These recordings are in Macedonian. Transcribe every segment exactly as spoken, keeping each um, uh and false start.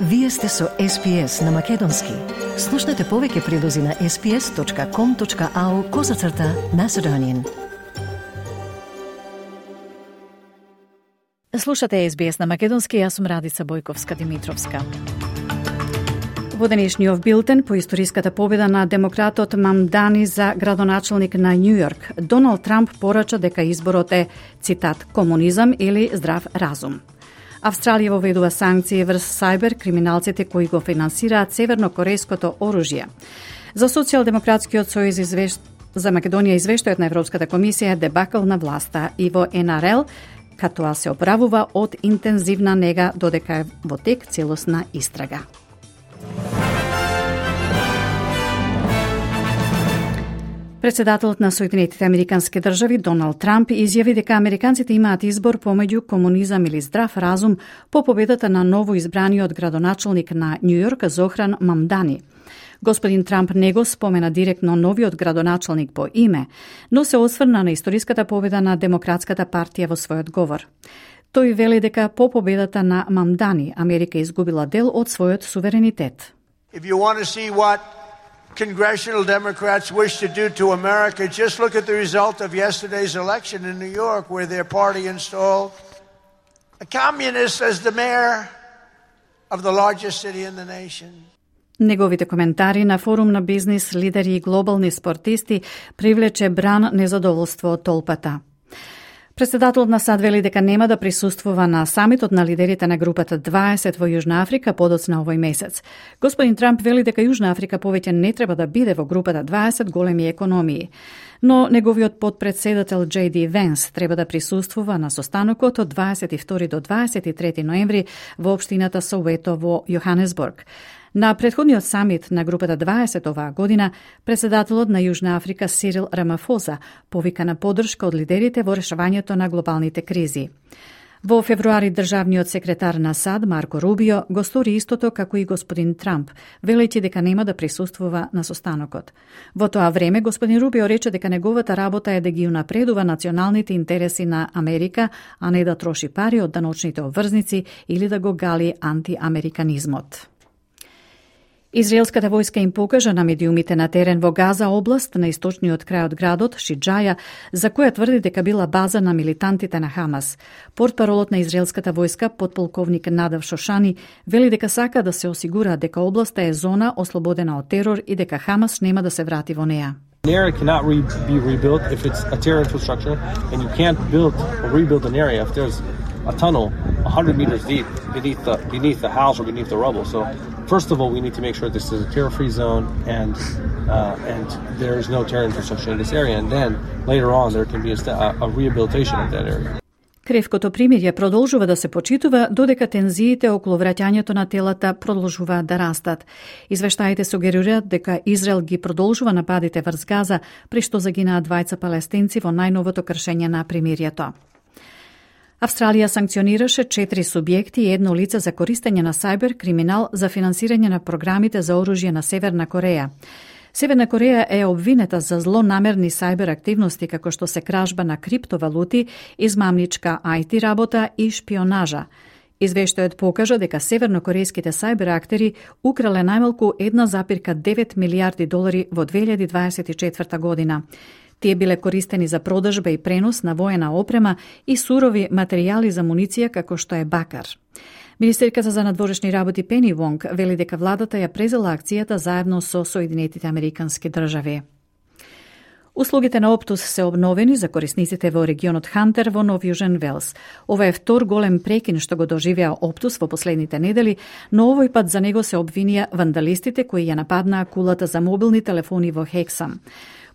Вие сте со Ес Пи Ес на Македонски. Слушнете повеќе прилози на ес пи ес точка ком точка ау козацрта Macedonian. Слушате Ес Би Ес на Македонски, јас сум Радица Бојковска-Димитровска. Во денешниот билтен по историската победа на демократот Мамдани за градоначалник на Њу Јорк, Доналд Трамп порача дека изборот е, цитат, комунизам или здрав разум. Австралија воведува санкции врз сајбер криминалците кои го финансираат севернокорејското оружје. За Социјалдемократскиот сојуз извеш... за Македонија извештајот на Европската комисија е дебакл на власта и во Ен Ар Ел, катоа се оправува од интензивна нега додека е во тек целосна истрага. Председателот на Соединетите Американски држави Доналд Трамп изјави дека американците имаат избор помеѓу комунизам или здрав разум по победата на ново избраниот градоначалник на Њу Јорк Зохран Мамдани. Господин Трамп не го спомена директно новиот градоначалник по име, но се осврна на историската победа на Демократската партија во својот говор. Тој вели дека по победата на Мамдани Америка изгубила дел од својот суверенитет. If you want to see what congressional Democrats wish to do to America, just look at the result of yesterday's election in New York, where their party installed a communist as the mayor of the largest city in the nation. Неговите коментари на форум на бизнис лидери и глобални спортисти привлече бран незадоволство од толпата. Председателот на САД вели дека нема да присуствува на самитот на лидерите на групата дваесет во Јужна Африка подоцна овој месец. Господин Трамп вели дека Јужна Африка повеќе не треба да биде во групата дваесет големи економии, но неговиот подпредседател Џеј Ди Венс треба да присуствува на состанокот од дваесет и втори до дваесет и трети ноември во општината Соуето во Јоханесбург. На претходниот самит на групата дваесет оваа година, председателот на Јужна Африка Сирил Рамафоза повика на поддршка од лидерите во решавањето на глобалните кризи. Во февруари државниот секретар на САД Марко Рубио го стори истото како и господин Трамп, велејќи дека нема да присуствува на состанокот. Во тоа време господин Рубио рече дека неговата работа е да ги унапредува националните интереси на Америка, а не да троши пари од даночните обврзници или да го гали антиамериканизмот. Израелската војска им покажа на медиумите на терен во Газа област на источниот крај од градот Шиџаја, за која тврди дека била база на милитантите на Хамас. Портпаролот на израелската војска, подполковник Надав Шошани, вели дека сака да се осигура дека областа е зона ослободена од терор и дека Хамас нема да се врати во неа. An area cannot re be rebuilt if it's a terror infrastructure, and you can't build or rebuild an area if there's a tunnel one hundred meters deep beneath the beneath the house or beneath the rubble. So first of all, we need to make sure this is a terror-free zone and uh, and there is no terror infrastructure in this area. And then later on, there can be a, a rehabilitation of that area. Кревкото примирје продолжува да се почитува додека тензиите околу враќањето на телата продолжуваат да растат. Извештаите сугерираат дека Израел ги продолжува нападите врз Газа, при што загинаат двајца палестинци во најновото кршење на примирието. Австралија санкционираше четири субјекти и едно лице за користење на сајбер криминал за финансирање на програмите за оружје на Северна Кореја. Северна Кореја е обвинета за злонамерни сајбер активности како што се кражба на криптовалути, измамничка ај ти работа и шпионажа. Извештајот покажа дека севернокорејските сајбер актери украле најмалку една запирка девет милијарди долари во две илјади дваесет и четврта година. Тие биле користени за продажба и пренос на воена опрема и сурови материјали за муниција како што е бакар. Министерката за надворешни работи Пени Вонг вели дека владата ја презела акцијата заедно со Соединетите Американски држави. Услугите на Оптус се обновени за корисниците во регионот Хантер во Нов Јужен Велс. Ова е втор голем прекин што го доживеа Оптус во последните недели, но овој пат за него се обвинија вандалистите кои ја нападнаа кулата за мобилни телефони во Хексам.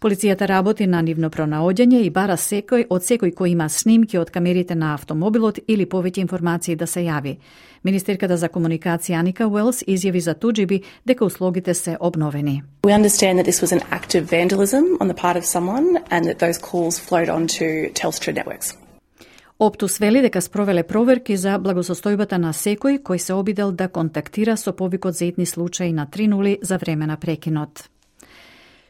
Полицијата работи на нивно пронаоѓање и бара секој од секој кој има снимки од камерите на автомобилот или повеќе информации да се јави. Министерката за комуникација Аника Уелс изјави за туџиби дека услугите се обновени. We understand that this was an act of vandalism on the part of someone and that those calls flowed onto Telstra networks. Оптус вели дека спровеле проверки за благосостојбата на секој кој се обидел да контактира со повикот за итни случаи на три нули за време на прекинот.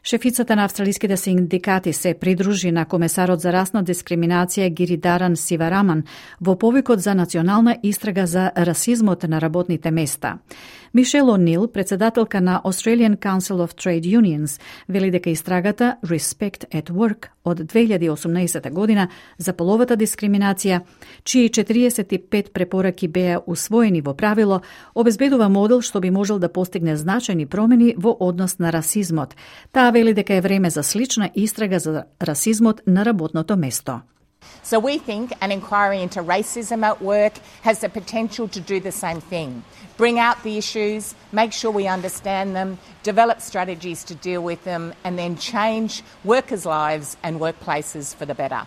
Шефицата на австралиските синдикати се придружи на комесарот за расна дискриминација Гиридаран Сивараман во повикот за национална истрага за расизмот на работните места. Мишел О'Нил, председателка на Australian Council of Trade Unions, вели дека истрагата Respect at Work од две илјади и осумнаесета година за половата дискриминација, чии четириесет и пет препораки беа усвоени во правило, обезбедува модел што би можел да постигне значајни промени во однос на расизмот. Таа вели дека е време за слична истрага за расизмот на работното место. So we think an inquiry into racism at work has the potential to do the same thing. Bring out the issues, make sure we understand them, develop strategies to deal with them, and then change workers' lives and workplaces for the better.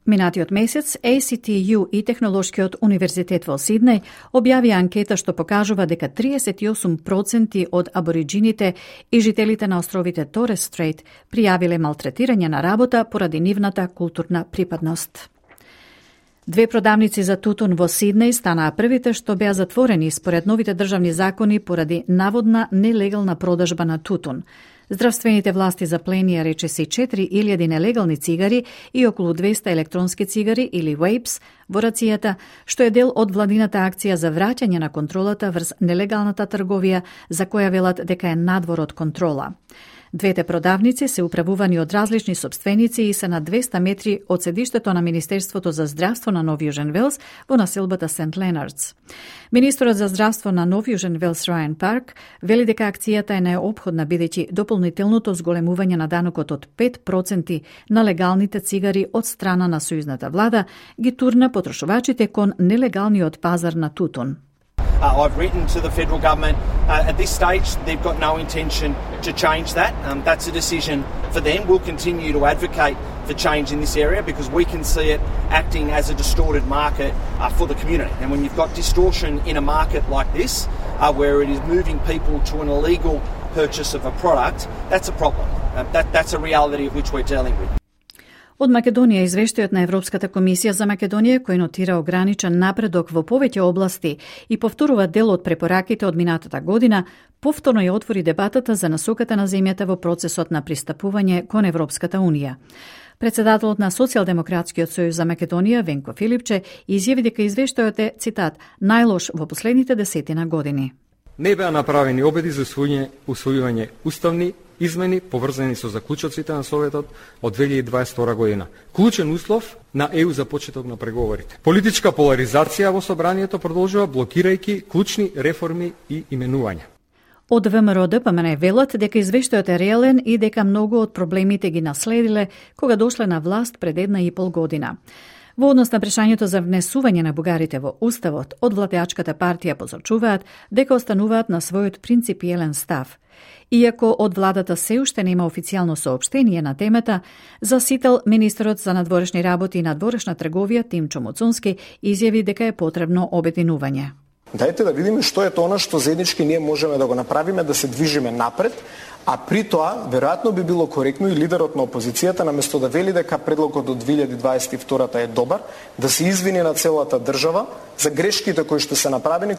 Минатиот месец, A C T U и Технолошкиот универзитет во Сиднеј објави анкета што покажува дека триесет и осум проценти од абориджините и жителите на островите Торес Стрейт пријавиле малтретирање на работа поради нивната културна припадност. Две продавници за тутун во Сиднеј станаа првите што беа затворени според новите државни закони поради наводна нелегална продажба на тутун. Здравствените власти запленија речиси четири илјади нелегални цигари и околу двеста електронски цигари или вейпс во рацијата, што е дел од владината акција за враќање на контролата врз нелегалната трговија, за која велат дека е надвор од контрола. Двете продавници се управувани од различни сопственици и се на двеста метри од седиштето на Министерството за здравство на Нов Јужен Велс во населбата Сент Ленардс. Министерот за здравство на Нов Јужен Велс Рајан Парк вели дека акцијата е неопходна бидејќи дополнителното зголемување на данокот од пет проценти на легалните цигари од страна на сојузната влада ги турна потрошувачите кон нелегалниот пазар на тутун. Uh, I've written to the federal government. Uh, at this stage, they've got no intention to change that. Um, that's a decision for them. We'll continue to advocate for change in this area because we can see it acting as a distorted market uh, for the community. And when you've got distortion in a market like this, uh, where it is moving people to an illegal purchase of a product, that's a problem. Uh, that, that's a reality of which we're dealing with. Од Македонија извештајот на Европската комисија за Македонија, кој нотира ограничен напредок во повеќе области и повторува дел од препораките од минатата година, повторно ја отвори дебатата за насоката на земјата во процесот на пристапување кон Европската унија. Председателот на Социјалдемократскиот сојуз за Македонија, Венко Филипче, изјави дека извештајот е, цитат, најлош во последните десетина години. Не беа направени обиди за усвојување, усвојување уставни измени поврзани со заклучоците на Советот од две илјади и дваесет и втора година. Клучен услов на Е У за почеток на преговорите. Политичка поларизација во собранието продолжува блокирајќи клучни реформи и именувања. Од Вэ Ем Р Д П М Н велат дека извештајот е реален и дека многу од проблемите ги наследиле кога дошле на власт пред една и пол година. Во однос на прашањето за внесување на бугарите во Уставот, од владеачката партија посочуваат дека остануваат на својот принципиелен став. Иако од владата се уште нема официјално соопштение на темата, за Сител министерот за надворешни работи и надворешна трговија Тимчо Муцунски изјави дека е потребно обединување. Дајте да видиме што е тоа што заеднички ние можеме да го направиме, да се движиме напред, а при тоа веројатно би било коректно и лидерот на опозицијата наместо да вели дека предлогот од две илјади дваесет и втора е добар, да се извини на целата држава за грешките кои што се направени.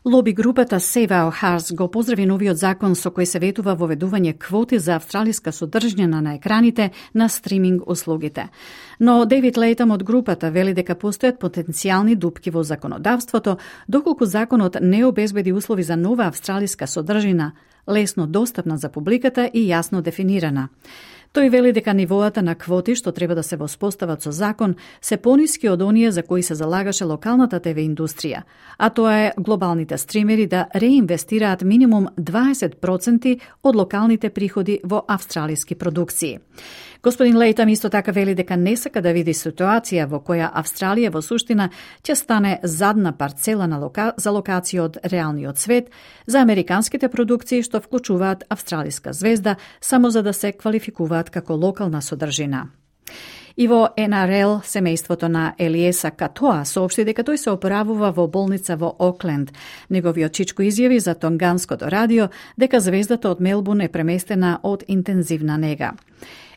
Лоби групата Save Our Hearts го поздрави новиот закон со кој се ветува воведување квоти за австралиска содржина на екраните на стриминг услугите. Но Дейвид Лейтам од групата вели дека постојат потенцијални дупки во законодавството, доколку законот не обезбеди услови за нова австралиска содржина, лесно достапна за публиката и јасно дефинирана. Тој вели дека нивоата на квоти што треба да се воспостават со закон се пониски од оние за кои се залагаше локалната Те Ви индустрија, а тоа е глобалните стримери да реинвестираат минимум дваесет проценти од локалните приходи во австралиски продукции. Господин Лейтам исто така вели дека не сака да види ситуација во која Австралија во суштина ќе стане задна парцела на лока... за локација од реалниот свет за американските продукции што вклучуваат австралиска звезда само за да се квалификуваат како локална содржина. И во Ен Ар Ел, семејството на Елиеса Катоа соопшти дека тој се оправува во болница во Окленд. Неговиот чичко изјави за Тонганското радио дека звездата од Мелбурн е преместена од интензивна нега.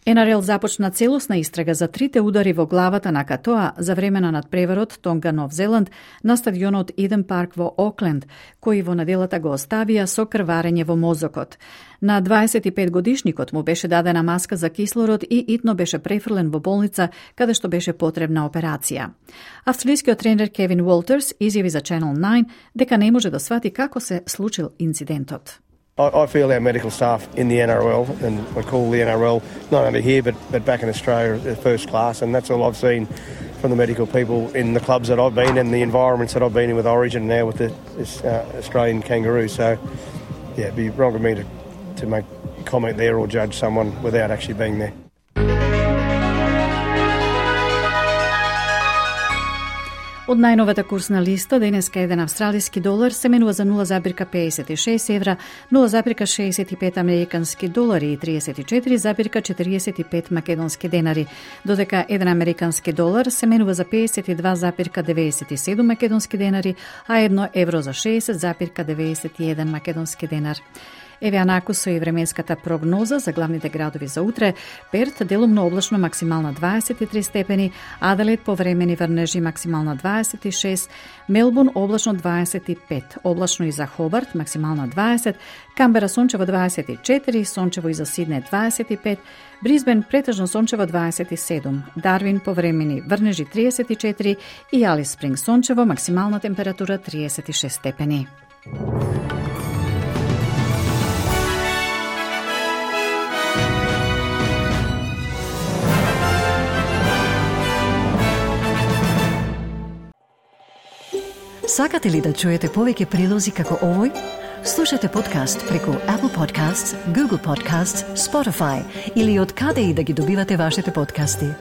Ен Ар Ел започна целосна истрага за трите удари во главата на Катоа за време на надпреварот Тонга Нов Зеланд на стадионот Иден Парк во Окленд, кој во неделата го оставија со крварење во мозокот. На дваесет и пет годишникот му беше дадена маска за кислород и итно беше префрлен во болница каде што беше потребна операција. Австралискиот тренер Кевин Уолтерс изјави за Channel nine дека не може да свати како се случил инцидентот. I feel our medical staff in the N R L, and I call the N R L not only here but, but back in Australia, first class, and that's all I've seen from the medical people in the clubs that I've been in, the environments that I've been in with Origin, now with the this, uh, Australian Kangaroo. So, yeah, it'd be wrong of me to, to make comment there or judge someone without actually being there. Од најновата курсна листа, денеска еден австралиски долар се менува за нула запирка педесет и шест евра, нула запирка шеесет и пет американски долари и тридесет и четири запирка четириесет и пет македонски денари, додека еден американски долар се менува за педесет и два запирка деветдесет и седум македонски денари, а едно евро за шеесет запирка деветдесет и еден македонски денар. Еве анаку со и временската прогноза за главните градови за утре. Перт делумно облачно максимална дваесет и три степени, Аделаид повремени врнежи максимална дваесет и шест, Мелбурн облачно дваесет и пет, облачно и за Хобарт максимална дваесет, Камбера сончево дваесет и четири, сончево и за Сиднеј дваесет и пет, Брисбен претежно сончево дваесет и седум, Дарвин повремени врнежи тридесет и четири и Алис Спринг сончево максимална температура тридесет и шест степени. Сакате ли да чуете повеќе прилози како овој? Слушате подкаст преку Apple Podcasts, Google Podcasts, Spotify или од каде и да ги добивате вашите подкасти.